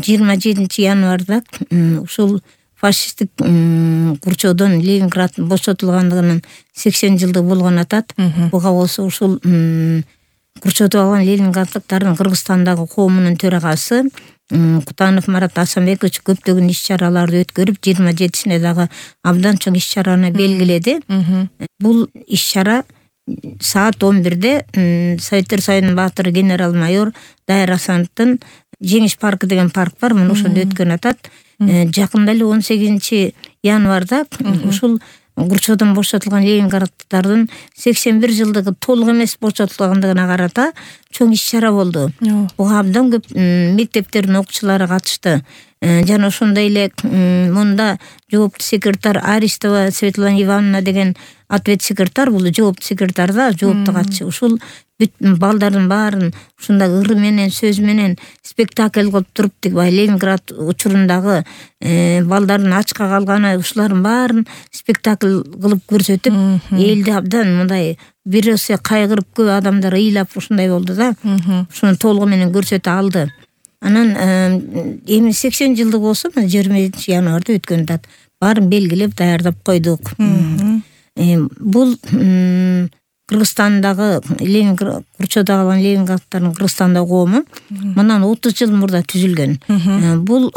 27 январда ушул фашисттик курчоодон Ленинград бошотулгандыгынын 80 жылдыгы болгон атат. Буга болсо ушул курчотуп алган ленинграддыктардын Кыргызстандагы коомунун төрагасы Кутанов Марат Асанбекович көптөгөн иш-чараларды өткөрүп, 27-сине дагы абдан чоң иш-чараны белгиледи. Бул иш-чара саат 11-де Советтер Союзунун баатыры генерал-майор Дайыр Асановдун Жеңиш паркы деген парк бар, мына ошондо өткөн атат. Жакында эле 18 январда ушул курчоодон бошотулган ленинграддыктардын 81 жылдыгы толук эмес бошотулгандыгына карата чоң иш-чара болду. Буга абдан көп мектептердин окуучулары катышты. Жана ошондой эле мында жоопту секретарь Аристова Светлана Ивановна деген ответ секретарь, бул жоопту секретарь да, жоопту катчы. Ушул бүт балдардын баарын ушундай ыры менен, сөз менен спектакль кылып туруп, Ленинград учурундагы балдардын ачка калганы, ушулардын баарын спектакль кылып көрсөтүп, элди абдан мындай бирөөсү кайгырып, көп адамдар ыйлап ушундай болду да. Ушуну толугу менен көрсөтө алды. Анан эми 80 жылдык болсо 27 январда өткөн атат. Баарын белгилеп даярдап койдук. Бул Кыргызстандагы курчоодо калган ленинграддардын Кыргызстандагы коому мындан 30 жыл мурда түзүлгөн. Бул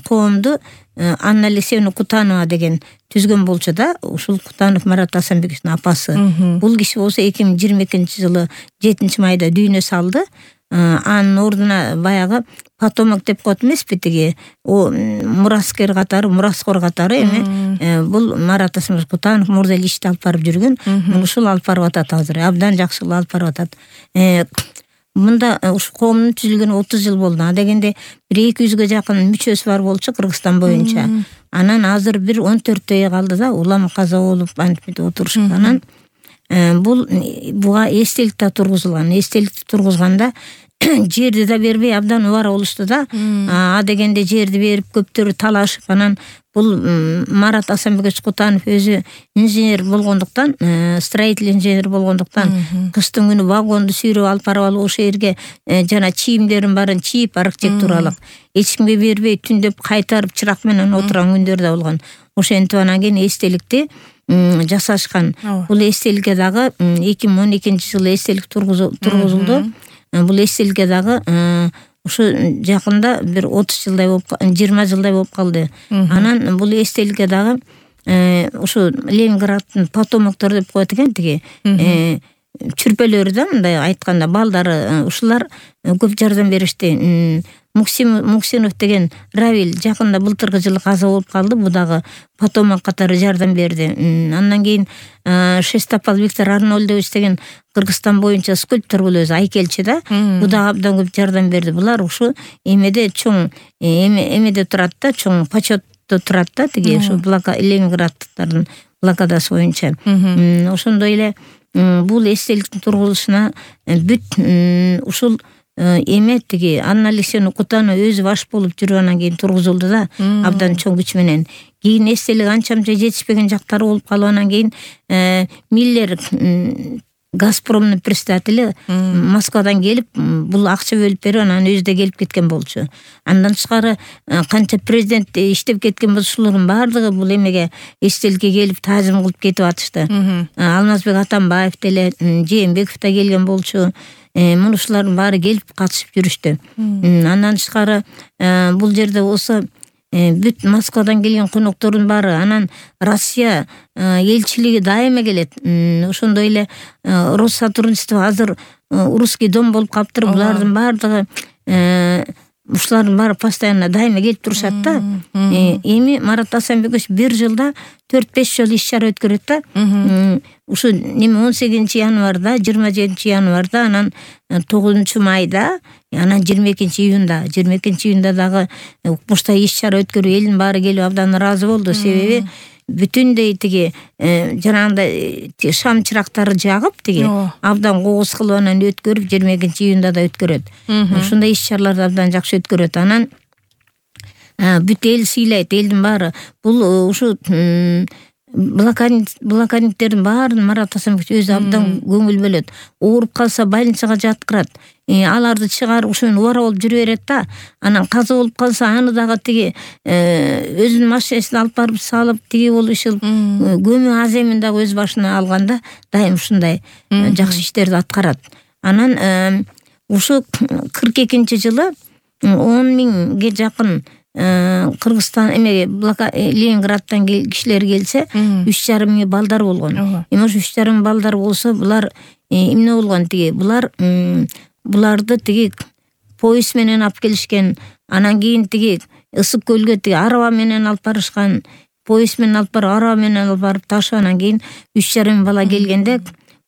коомду Анна Алексеевна Кутанова деген түзгөн болчу да, ушул Кутанов Марат Асанбековичтин апасы. Бул киши болсо 2022-жылы 7-майда дүйнө салды. Анын ордуна баягы потомок деп коет эмеспи, тиги мураскер катары, мураскор катары эми бул Марат Асанбекович Кутанов мурда эле ишти алып барып жүргөн. Ушул алып барып атат азыр. Абдан жакшы алып барып атат. Мында ушу коомдун түзүлгөнү 30 жыл болду. А дегенде 200-га жакын мүчөсү бар болчу Кыргызстан боюнча. Анан азыр 14 калды да, улам каза болуп антип отурушкан. Анан буга эстелик да тургузулган. Эстеликти тургузганда жерди да бербей абдан убара болушту да. А дегенде жерди берип көптөрү талашып, анан бул Марат Асанбекович Кутанов өзү инженер болгондуктан, строитель инженер болгондуктан, кыштын күнү вагонду сүйрөп алып барып алып ошол жерге жана чийимдерин баарын чийип, архитектуралык эч кимге бербей түндөп кайтарып чырак менен отурган күндөр да болгон. Ошентип анан кийин эстеликти жасашкан. Бул эстеликке дагы 2012-жылы эстелик тургузулду. Бул эстеликке дагы ушу жакында бир 30 жылдай болуп, 20 жылдай болуп калды. Анан бул эстеликке дагы ушу Ленинграддын потомоктору деп коет экен, тиги чүрпөлөрү да, мындай айтканда балдары, ушулар көп жардам беришти. Муксинов деген Равиль жакында былтыркы жылы каза болуп калды. Бу дагы потомок катары жардам берди. Андан кийин Шестопал Виктор Арнольдович деген Кыргызстан боюнча скульптор, бул өзү айкелчи да. Бу дагы абдан көп жардам берди. Булар ушу эмеде чоң эмеде турат да, чоң почетто турат да, тиги ушу Ленинграддыктардын блокадасы боюнча. Ошондой эле бул эстеликтин тургузулушуна бүт ушул эме тиги Анна Алексеевна Кутанова өзү баш болуп жүргөндөн кийин тургузулду да, абдан чоң күч менен. Кийин эстелик анча-мынча жетишпеген жактары болуп калып, анан кийин Миллер Газпромдун председатели Москвадан келип, бул акча бөлүп берип, анан өзү да келип кеткен болчу. Андан тышкары канча президент иштеп кеткен болсо, ушулардын баардыгы бул эмеге эстеликке келип таазим кылып кетип атышты. Алмазбек Атамбаев деле, Жээнбеков да келген болчу. Мына ушулардын баары келип катышып жүрүштү. Андан тышкары бул жерде болсо бүт Москвадан келген коноктордун баары, анан Россия элчилиги дайыма келет. Ошондой эле Россотрудничество азыр Русский дом болуп калыптыр. Булардын баардыгы ушулардын баары постоянно дайыма келип турушат да. Эми Марат Асанбекович бир жылда 4-5 жолу иш-чара өткөрөт да. Ушу неме 18 январда, 27 январда, анан 9 майда, анан 22 июнда дагы ушундай иш-чара өткөрүп, элдин баары келип абдан ыраазы болду. Себеби бүтүндөй тиги жанагындай шам чырактары жагып, тиги абдан кооз кылып анан өткөрүп, 22 июнда да өткөрөт. Ушундай иш-чараларды абдан жакшы өткөрөт. Анан бүт эл сыйлайт, элдин баары. Бул ушу блокадниктердин баарын Марат Асанбекович өзү абдан көңүл бөлөт. Ооруп калса больницага жаткырат. аларды чыгарып ошону убара болуп жүрө берет да. Анан каза болуп калса аны дагы тиги өзүнүн машинасына алып барып салып тиги болушул көмү аз эмин дагы өз башына алганда дайым ушундай жакшы иштерди аткарат. Анан ушу 42-жылы 10.000ге жакын Кыргызстан Ленинградтан кишилер келсе 3,5 балдар болгон. Эми ошо 3,5 балдар болсо булар эмне болгон тиги буларды тиги поезд менен алып келишкен. Анан кийин тиги Ысык көлгө тиги араба менен алып барышкан. Поезд менен алып барып араба менен алып барып ташып анан кийин 3,5 бала келгенде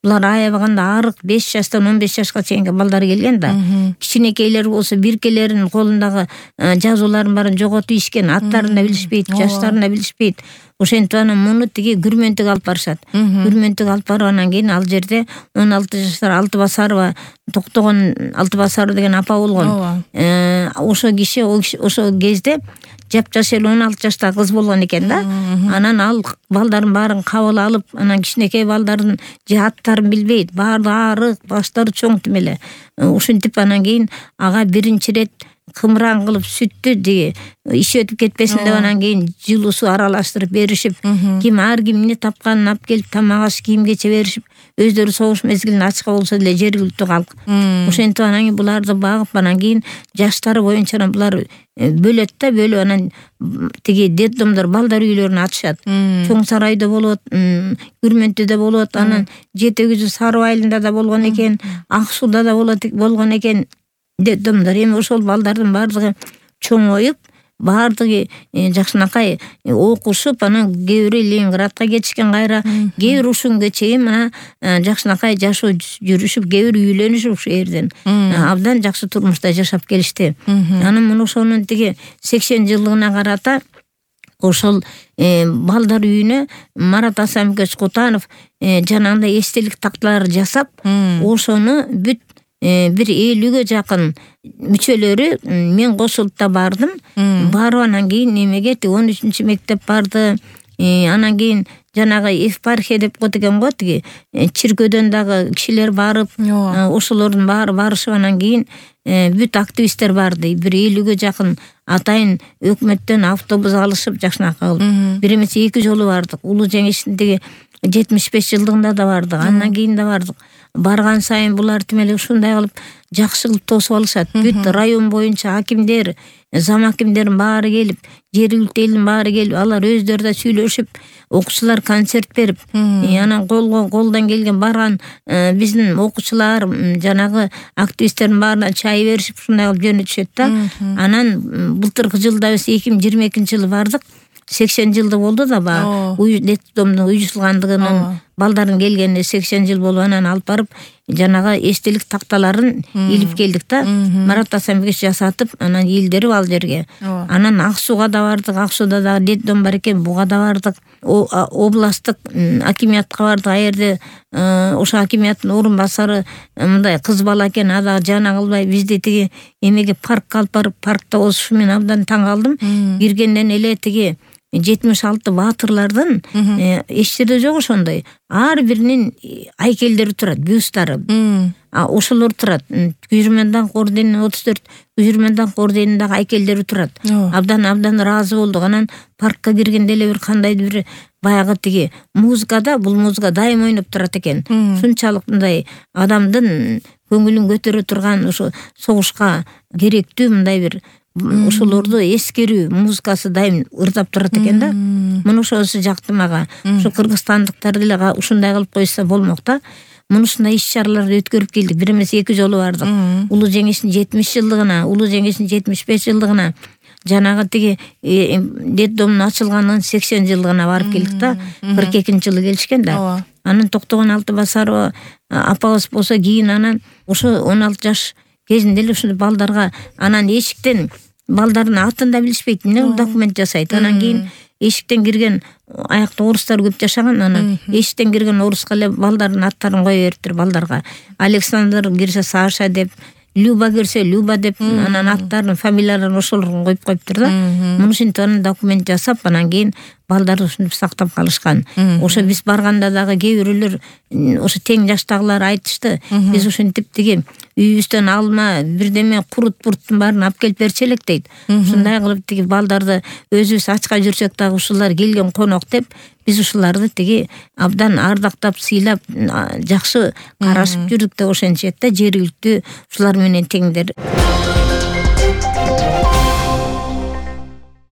булар аябаганда арык 5 жаштан 15 жашка чейинки балдар келген да. Кичинекейлер болсо биркелеринин колундагы жазууларын баарын жоготуп ишкен, аттарын да билишпейт, жаштарын да билишпейт. Ошентип анан муну тиги Күрмөнтүгө алып барышат. Күрмөнтүгө алып барып анан кийин ал жерде 16 жаштар Алтыбасарова, Токтогон Алтыбасарова деген апа болгон. Ошо киши ошо кезде жапжаш эле 16 жаштагы кыз болгон экен да. Анан ал балдарын баарын кабыл алып, анан кичинекей балдардын же аттарын билбейт, баары арык, баштары чоң тим эле. Ушинтип анан кийин ага биринчи ирет кымыран кылып сүттү тиги иш өтүп кетпесин деп анан кийин жылуу суу аралаштырып беришип, ким ар ким эмне тапканын алып келип тамак аш кийим-кече беришип, өздөрү согуш мезгилинде ачка болсо деле жергиликтүү калк. Ошентип анан кийин буларды багып анан кийин жаштары боюнча булар бөлөт да, бөлүп анан тиги детдомдор балдар үйлөрүнө атышат. Чоң Сарайда болот, Күрмөнтүдө болот, анан Жети Күзү Сары Айылында да болгон экен, Ак Сууда да болгон экен детдомдор. Эми ошол балдардын баардыгы чоңоюп, баардыгы жакшынакай окушуп, анан кээ бири Ленинградка кетишкен кайра, кээ бири ушул күнгө чейин мына жакшынакай жашоо жүрүшүп, кээ бири үйлөнүшүп ушу жерден абдан жакшы турмушта жашап келишти. Анан мына ошонун тиги 80-жылдыгына карата ошол балдар үйүнө Марат Асанбекович Кутанов жанагындай эстелик такталар жасап, ошону бүт бир 50ге жакын мүчөлөрү мен кошулуп да бардым. Барып анан кийин немеге 13 мектеп барды. Анан кийин жанагы епархия деп коет экен го, тиги чиркөөдөн дагы кишилер барып, ошолордун баары барышып анан кийин бүт активисттер барды. Бир 50ге жакын атайын өкмөттөн автобус алышып жакшынакай кылып. Бир эмес 2 жолу бардык. Улуу жеңиштин тиги 75 жылдыгында да бардык. Андан кийин да бардык. Барган сайын булар тим эле ушундай кылып жакшы кылып тосуп алышат. Бүт район боюнча акимдер, зам акимдердин баары келип, жергиликтүү элдин баары келип, алар өздөрү да сүйлөшүп, окуучулар концерт берип, анан колдон келген барган биздин окуучулар, жанагы активисттердин баарына чай беришип, ушундай кылып жөнөтүшөт да. Анан былтыркы жылда биз 2022-жылы бардык. 80 жылды болду да баягы детдомдун уюштурулгандыгынын балдардын келгенине 80 жыл болуп анан алып барып жанагы эстелик такталарын илип келдик да. Марат Асанбекович жасатып анан ийилдирип ал жерге. Анан Ак Сууга да бардык. Ак Сууда дагы детдом бар экен, буга да бардык. Областтык акимиятка бардык. А жерде ошо акимияттын орун басары мындай кыз бала экен, ада жана кылбай бизди тиги эмеге паркка алып барып, паркта болушу мен абдан таң калдым. Киргенден эле тиги 76 баатырлардын эч жерде жок ошондой. Ар биринин айкелдери турат, бюсттары. Ошолор турат. Күжүрмөн даңк орденинин 34 Күжүрмөн даңк ордениндеги айкелдери турат. Абдан ыраазы болдук. Анан паркка киргенде эле бир кандайдыр бир баягы тиги музыкада, бул музыка дайым ойноп турат экен. Ушунчалык мындай адамдын көңүлүн көтөрө турган, ошо согушка керектүү мындай бир ошолорду эскерүү музыкасы дайым ырдап турат экен да. Муну ошосу жакты мага. Ушу кыргызстандыктар деле ушундай кылып койсо болмок да. Мунусундай иш-чараларды өткөрүп келдик. Бир эмес 2 жолу бардык. Улуу жеңиштин 70 жылдыгына, улуу жеңиштин 75 жылдыгына, жанагы тиги детдомдун ачылганынын 80 жылдыгына барып келдик да. 42-жылы келишкен да. Анан Токтогон Алтыбасарова апабыз болсо кийин анан ошо 16 жаш кезинде эле ушул балдарга анан эшиктен балдардын атын да билишпейт, эмне документ жасайт. Анан кийин эшиктен кирген аякта орустар көп жашаган, анан эшиктен кирген оруска эле балдардын аттарын кое бериптир балдарга. Александр кирсе Саша деп, Люба кирсе Люба деп, анан аттарын, фамилияларын ошолорго коюп коюптур да. Муну ушинтип анан документ жасап, анан кийин балдарды ушинтип сактап калышкан. Ошо биз барганда дагы кээ бирөөлөр ошо тең жаштагылар айтышты. Биз ушинтип тиги үйүбүздөн алма, бирдеме курут-бурттун баарын алып келип берчи элек дейт. Ушундай кылып тиги балдарды өзүбүз ачка жүрсөк дагы ушулар келген конок деп биз ушуларды тиги абдан ардактап, сыйлап, жакшы карашып жүрдүк деп ошентишет да, жергиликтүү ушулар менен теңдер.